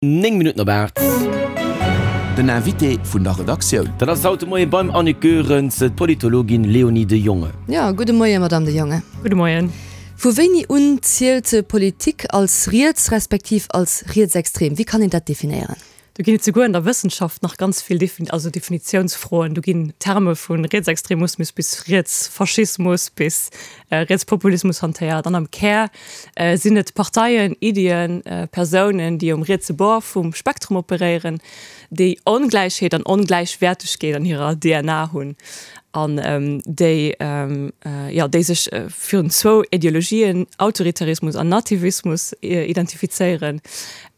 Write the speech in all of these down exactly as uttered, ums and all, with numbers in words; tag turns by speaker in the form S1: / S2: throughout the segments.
S1: Néng Minutten op aacht.
S2: Den Invité vun der Redaktioun.
S1: Dat ass haut de Moie beim Annick Goerens d'Politologin Léonie de Jonge.
S3: Jo, gudde Moie Madame de Jonge.
S4: Gudde Moien.
S3: Vu wéini un zielt Politik als riets respektiv als rietsextrem? Wéi kann een dat definéieren?
S4: Do ginn et souguer an der Wëssenschaft nach ganz vill Defin also Definitiounsfroen. Do ginn Terme vu Rietsextremusmus bis Rietsfaschismus bis Rietspopulismus hantéiert. An am Kär sinn et Parteien, Iddien, Persounen, déi um rietse Bord vum Spektrum operéieren, déi Ongläichheet an Ongläichwäertegkeet an hirer D N A hunn an déi, jo, déi sech virun zwou Ideologien, Autoritarismus an Nativismus, identifizéieren.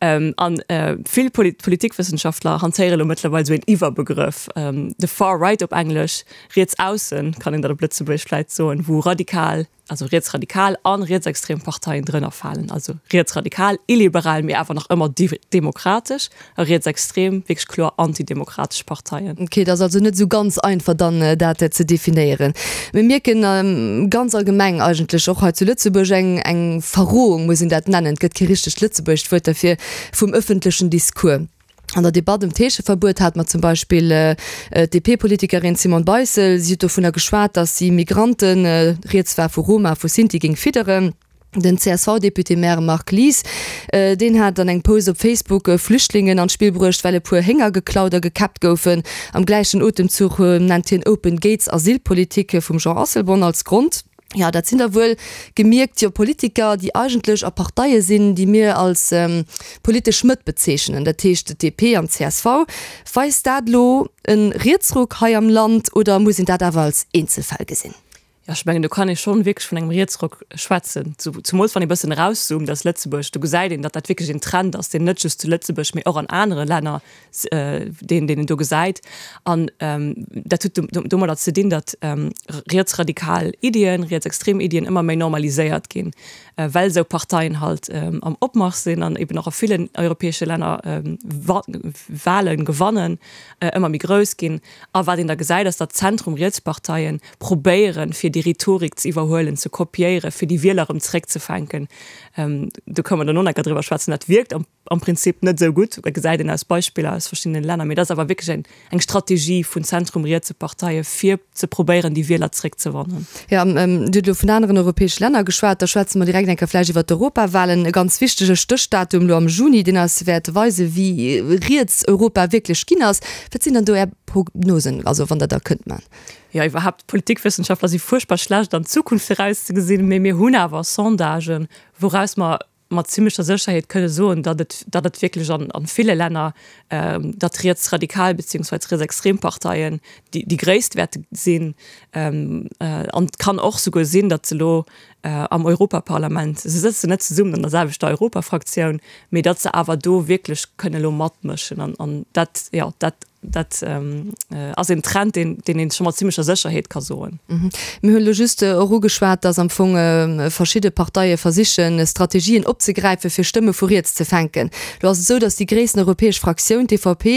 S4: An vill Politikwëssenschaftler hantéiere lo mëttlerweil esou een Iwwerbegrëff, the far right op Englesch, riets aussen, kann een dat op Lëtzebuergesch vläit soen, wou radikal, also rietsradikal an rietsextrem Parteien drënner falen. Also rietsradikal, illiberal, mee awer nach ëmmer demokratesch, a rietsextrem, wierklech kloer antidemokratesch Parteien.
S3: Ok, et ass also net esou ganz einfach dann dat ze definéieren. Mir mierken ganz allgemeng eigentlech och hei zu Lëtzebuerg eng eng Verrohung, muss een dat nennen, et gëtt kee richtegt lëtzebuergescht Wuert derfir, vum ëffentlechen Discours. An der Debatt ëm d'Heescheverbuet hat mer zum Beispill d'D P-Politikerin Simone Beissel, si huet dovunner geschwat, datt si Migranten, rieds war vu Roma, vu Sinti, géing fidderen. Den C S V-Député-Maire Marc Lies, deen hat an engem Post op Facebook Flüchtlingen an d'Spill bruecht, well e puer Hénger geklaut a gekäppt goufen. Am gläichen Otemzuch nennt hien Open Gates Asylpolitik vum Jean Asselborn als Grond. Jo, dat sinn da wuel gemierkt jo Politiker, déi eigentlech a Parteie sinn, déi mir als politesch Mëtt bezeechnen, dat heescht D P an C S V. Weist dat elo e Rietsruck hei am Land oder muss een dat awer als Eenzelfäll gesinn?
S4: Jo, ech mengen, do kann ee schonn wierklech vun engem Rietsruck schwätzen, zumools wann ee bëssen erauszoomt aus Lëtzebuerg. Do gesäit een, datt dat wierklech een Trend ass, deen net just zu Lëtzebuerg, mee och an anere Länner, deen deen een do gesäit. An dat huet domadder ze dinn, datt rietsradikal Iddien, rietsextrem Iddien ëmmer méi normaliséiert ginn, well esou Parteien halt am Opmarsch sinn an eben och a villen europäesche Länner Wahlen gewannen, ëmmer méi grouss ginn. A wat een da gesäit, ass, datt Zentrum-Rietsparteien probéieren, fir déi Rhetorik ze iwwerhuelen, ze kopiéieren, fir déi Wieler erëm zeréckzefänken. Do kënne mer dann och nach driwwer schwätzen. Dat wierkt am, am Prinzip net esou gutt, dat gesäit een aus Beispiller aus verschiddenen Länner, mee dat ass awer wierklech eng, eng Strategie vun zentrum-rietse Parteie fir ze probéieren, déi Wieler zeréckzewannen.
S3: Jo, Dir hutt elo vun aneren europäesche Länner geschwat, da schwätze mer direkt eng Kéier vläicht iwwer d'Europawahlen. E ganz wichtege Stéchdatum elo am Juni, deen eis wäert weisen, wéi riets Europa wierklech ginn ass. Wat sinn dann do Är Prognosen, also wann Der der kënnt man?
S4: Jo, iwwerhaapt, Politikwëssenschaftler si fuerchtbar schlecht an d'Zukunft virauszegesinn, mee mir hunn awer Sondagen, wouraus mer mat zimmlecher Sécherheet kënne soen, datt et, datt et wierklech an, an ville Länner, datt rietsradikal beziehungsweise rietsextrem Parteien déi, déi gréisst wäerte sinn. An et kann och souguer sinn, datt se elo am Europaparlament, se sëtzen net zesummen an der selwechter Europafraktioun, mee datt se awer do wierklech kënne elo matmëschen. An, an dat, jo, dat, dat ass een Trend, deen, deen een scho mat zimmlecher Sécherheet ka soen.
S3: Mir hunn elo just och ugeschwat, datt am Fong verschidde Parteie versichen, Strategien opzegräifen, fir Stëmme vu riets ze fänken. Elo ass et esou, datt déi gréissten europäesch Fraktioun, d'E V P,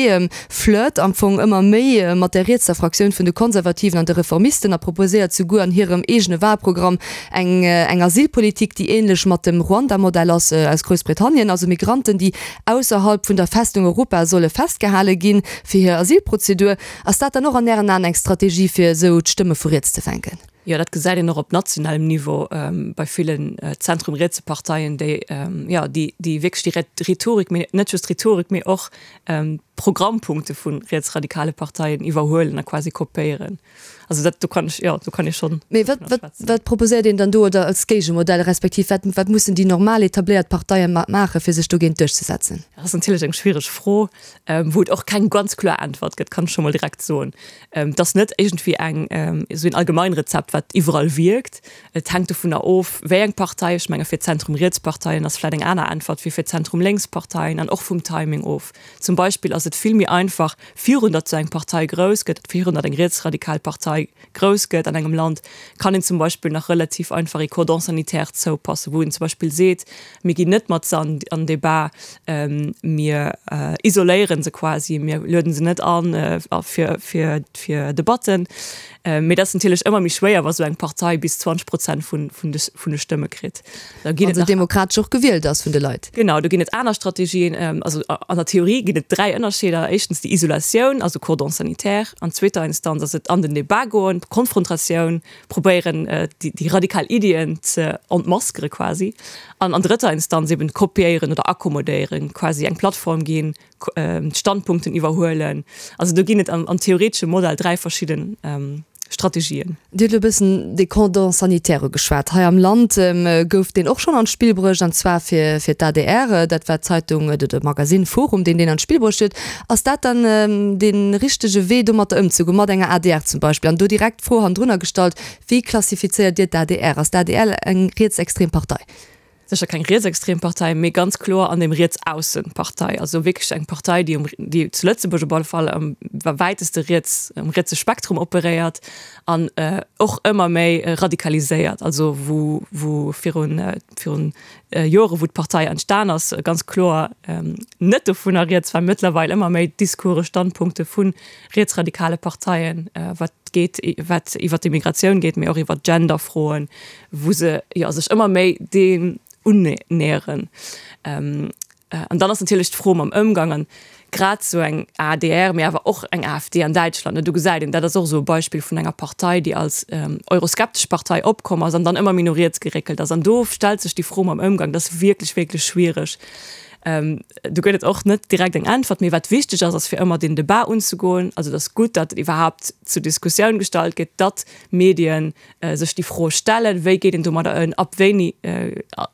S3: flirt am Fong ëmmer méi mat der rietser Fraktioun vun de Konservativen an de Reformisten a proposéiert souguer an hirem eegene Wahlprogramm eng, eng Asylpolitik, déi ähnlech mat dem Ruanda-Modell ass aus Groussbritannien, also Migranten, déi ausserhalb vun der Festung Europa solle festgehale ginn, fir hir Asylprozedur. Ass dat dann och an Ären Aen eng Strategie, fir esou d'Stëmme vu riets ze fänken?
S4: Jo, dat gesäit een och op nationalem Niveau bei villen zentrum-rietse Parteien, déi, jo, déi, déi wierklech déi Rhetorik, mee net just Rhetorik, mee och Programmpunkte vu rietsradikale Parteien iwwerhuelen a quasi kopéieren. Also dat, do kann ech, jo, do kann ee schonn.
S3: Mee wat, wat, wat proposéiert een dann do oder als Géigemodell, respektiv wat, wat mussen déi normal etabléiert Parteie maachen, fir sech dogéint duerchzesetzen?
S4: Dat ass natierlech eng schwiereg Fro, wou et och keng ganz kloer Äntwert gëtt, kann ech scho mol direkt soen. Et ass net iergendwéi eng, esou een Allgemeinrezept, wat iwwerall wierkt. Et hänkt dovunner of, wéi eng Partei. Ech menge fir Zentrum-Riets-Parteien ass vläicht eng aner Äntwert wéi fir Zentrum-Lénks-Parteien an och vum Timing of. Zum Beispill ass ass et vill méi einfach, virun datt sou eng Partei grouss gëtt, virun datt eng rietsradikal Partei grouss gëtt an engem Land, kann een zum Beispill nach relativ einfach ee Cordon sanitaire zoupassen, wou een zum Beispill seet, mir ginn net mat se an an Debat, mir isoléiere se quasi, mir lueden se net an fir fir fir Debatten. Mee dat ass natierlech ëmmer méi schwéier, wa sou eng Partei bis zwanzeg Prozent vun vun de vun de Stëmme kritt.
S3: Da ginn et nach. Demokratesch och gewielt ass vun de Leit.
S4: Genau, do ginn et aner Strategien. Also an der Theorie ginn et dräi Ënnerscheeder. Éischtens déi Isolatioun, also Cordon sanitaire. An zweeter Instanz ass et an den Debat goen, Konfrontatioun, probéieren déi radikal Iddien ze entmaskere quasi. An an drëtter Instanz eben kopiéieren oder akkommodéieren, quasi eng Plattform ginn, d'Standpunkten iwwerhuelen. Also do ginn et am am theoretesche Modell dräi verschidden Strategien.
S3: Dir hutt elo e bëssen dee Cordon sanitaire ugeschwat. Hei am Land gouf deen och schonn an d'Spill bruecht, an zwar fir fir d'ADR. Dat war d'Zeitung oder de Magasinn Forum, deen deen an d'Spill bruecht huet. Ass dat dann dee richtege Wee, domatter ëmzegoen, mat enger adr zum Beispill? An do direkt d'Fro hannendrunner gestallt, Wéi klassifizéiert Dir d'ADR? Ass d'ADR eng rietsextrem Partei?
S4: Sécher keng rietsextrem Partei, mee ganz kloer an dem Rietsaussen-Partei. Also wierklech eng Partei, déi um, déi zu Lëtzebuerg op alle Fall am wäiteste riets, um rietse Spektrum operéiert an och ëmmer méi radikaliséiert. Also wou, wou virun, virun Jore wou d'Partei entstan ass, ganz kloer net dovunner rieds war, mëttlerweil ëmmer méi Discourse, Standpunkte vu rietsradikale Parteien, wat geet, wat iwwer d'Immigratioun geet, mee och iwwer Genderfroen, wou se jo sech ëmmer méi deem unnäheren. An dann ass natierlech d'Fro mam Ëmgang an grad esou eng adr, mee awer och eng AfD an Däitschland, ne, do gesäit een, dat ass och esou e Beispill vun enger Partei, déi als euroskeptesch Partei opkomm ass an dann ëmmer méi no riets geréckelt ass. An do stellt sech déi Fro mam Ëmgang, dat ass wierklech, wierklech schwiereg. Do gëtt et och net direkt eng Äntwert. Mee wat wichteg ass, ass fir ëmmer deen Debat unzegoen. Also et ass gutt, datt et iwwerhaapt zur Diskussioun gestallt gëtt, datt Medien sech déi Fro stellen, wéi geet een domadder ëm, ab wéini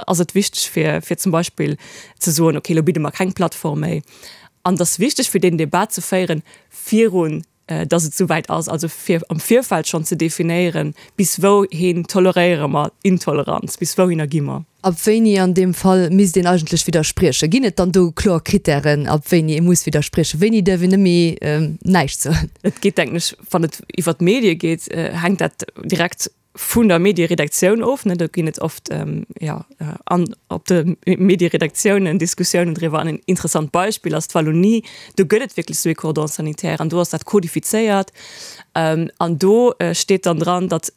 S4: ass et wichteg fir, fir zum Beispill ze soen, okay, elo bidde mer keng Plattform méi. An et ass wichteg fir deen Debat ze féieren virun dass et souwäit ass, also fir am Virfeld schonn ze definéieren, bis wouhin toleréiere mer Intoleranz, bis wouhinner gi mer.
S3: Ab wéini an deem Fall misst een eigentlech widderspriechen? Ginn et dann do kloer Krittären, ab wéini ee muss widderspriechen? Wéini däerf een net méi näischt soen?
S4: Et geet, denken ech, wann et iwwer d'Medie geet, hänkt dat direkt vun der Medieredaktioun of, ne, do ginn et oft jo an op de Medieredaktiounen Diskussiounen driwwer. An en interessant Beispill ass d'Wallonie, do gëtt et wierklech esou ee Cordon sanitaire an do ass dat kodifizéiert an do steet dann dran, datt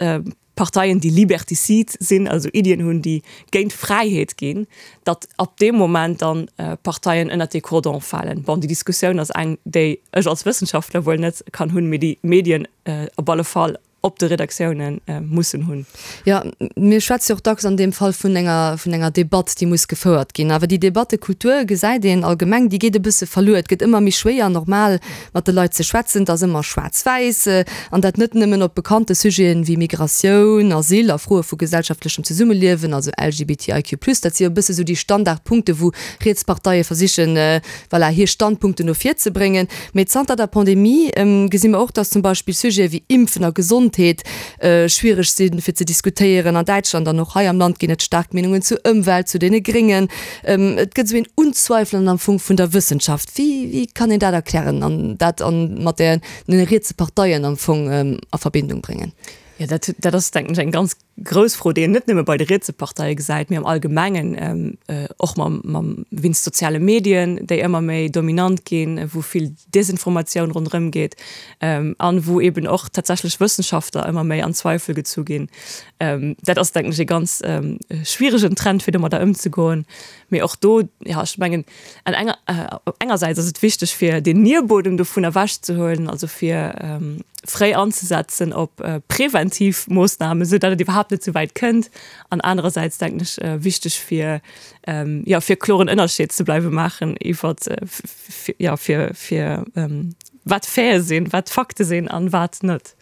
S4: Parteien, déi liberticide sinn, also Iddien hunn, déi géint d'Fräiheet ginn, datt ab deem Moment dann Parteien ënnert dee Cordon falen. Bon, déi Diskussioun ass eng, déi ech als Wëssenschaftler wuel net kann hunn, mee déi d'Medien op alle Fall op de Redaktioune mussen hunn.
S3: Jo, mir schwätze jo och dacks an deem Fall vun enger, vun enger Debatt, déi muss gefouert ginn. Awer déi Debattekultur, gesäit een allgemeng, déi geet e bësse verluer. Et gëtt ëmmer méi schwéier, normal mat de Leit ze schwätzen. Et ass ëmmer schwaarz-wäiss, an dat net nëmmen op bekannte Sujeten wéi Migratioun, Asyl a Froe vu gesellschaftlechem Zesummeliewen, also LGBTIQ plus. Dat si jo e bësse sou déi Standardpunkte, wou riets Parteie versichen, voilà, hir Standpunkten no vir ze bréngen. Mee zanter der Pandemie gesi mer och, dass zum Beispill Sujete wéi Impfen a Gesondheet schwiereg sinn, fir ze diskutéieren. An Däitschland an och hei am Land ginn et staark Meenungen zur Ëmwelt, zu deene Gréngen. Et gëtt esou een Unzweifelen am Fong vun der Wëssenschaft. Wéi, wéi kann een dat erklären an dat an mat deene rietse Parteien am Fong a Verbindung bréngen?
S4: Jo, dat, dat ass, denken ech, eng ganz grouss Fro, déi een net nëmme bei de rietse Parteie gesäit, mee am Allgemengen och mam, mam, wéinst soziale Medien, déi ëmmer méi dominant ginn, wou vill Desinformatioun ronderëm geet an wou eeben och tatsächlech Wëssenschaftler ëmmer méi an Zweifel gezu ginn. Dat ass, denken ech, e ganz schwieregen Trend, fir domadder ëmzegoen. Mee och do, jo, ech mengen, an enger, engersäits ass et wichteg, fir den Nierbuedem dovun ewechzehuelen, also fir fréi anzesetzen op preventiv Moossnamen, esou datt et iwwerhaapt net esou wäit kënnt, an anerersäits, denken ech, wichteg fir, jo, fir kloren Ënnerscheed ze bleiwe maachen iwwer, jo, fir, fir wat Faite sinn, wat Fakte sinn an wat net.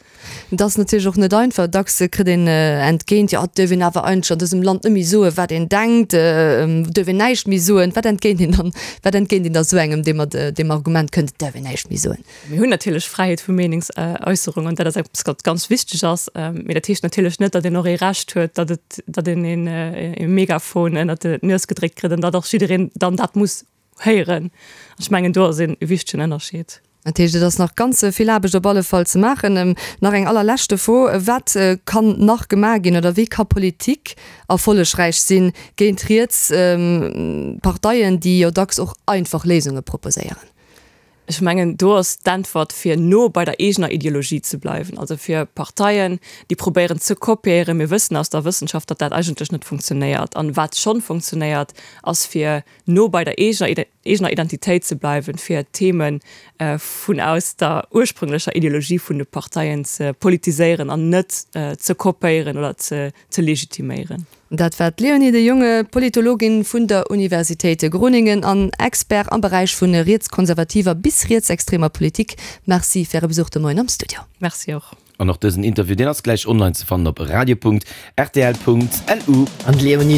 S3: Et ass natierlech och net einfach. Dacks kritt een entgéint, jo, et duerf een awer eigentlech an dësem Land net méi soen, wat een denkt, et duerf een näischt méi soen. Wat entgéint een dann, wat entgéint een da sou engem, dee mat deem Argument kënnt, et däerf een näischt méi soen?
S4: Mir hunn natierlech Fräiheet vu Meenungsäusserung an dat ass eppes, wat ganz wichteg ass. Mee dat heescht natierlech net, datt een och ee Recht huet, datt et, datt een een e Megafon ënnert d'Nues gedréckt kritt an datt och jiddereen dann dat muss héieren. Ech mengen do ass een wichtegen Ënnerscheed.
S3: Dat heescht, et ass nach ganz vill Aarbecht op alle Fall ze maachen. Nach eng allerleschte Fro, Wat kann nach gemaach ginn oder wéi ka Politik erfollegräich sinn géint riets Parteien, déi jo dacks och einfach Léisunge proposéieren?
S4: Ech mengen, do ass d'Äntwert, fir no bei der eegener Ideologie ze bleiwen, also fir Parteien, déi probéieren ze kopéieren. Mir wëssen aus der Wëssenschaft, datt dat eigentlech net funktionéiert. An wat schonn funktionéiert, ass fir no bei der eegener eegener Identitéit ze bleiwen, fir Themen vun aus der ursprünglecher Ideologie vun de Parteien ze politiséieren an net ze kopéieren oder ze ze legitiméieren.
S3: Dat war d'Leonie de Jonge, Politologin vun der Universitéit Groningen an Expert am Beräich vun rietskonservativer bis rietsextremer Politik. Merci fir Äre Besuch de Moien am Studio.
S4: Merci och.
S1: An och dësen Interview, deen ass gläich online ze fannen op radio.rtl.lu.
S5: An d'Leonie.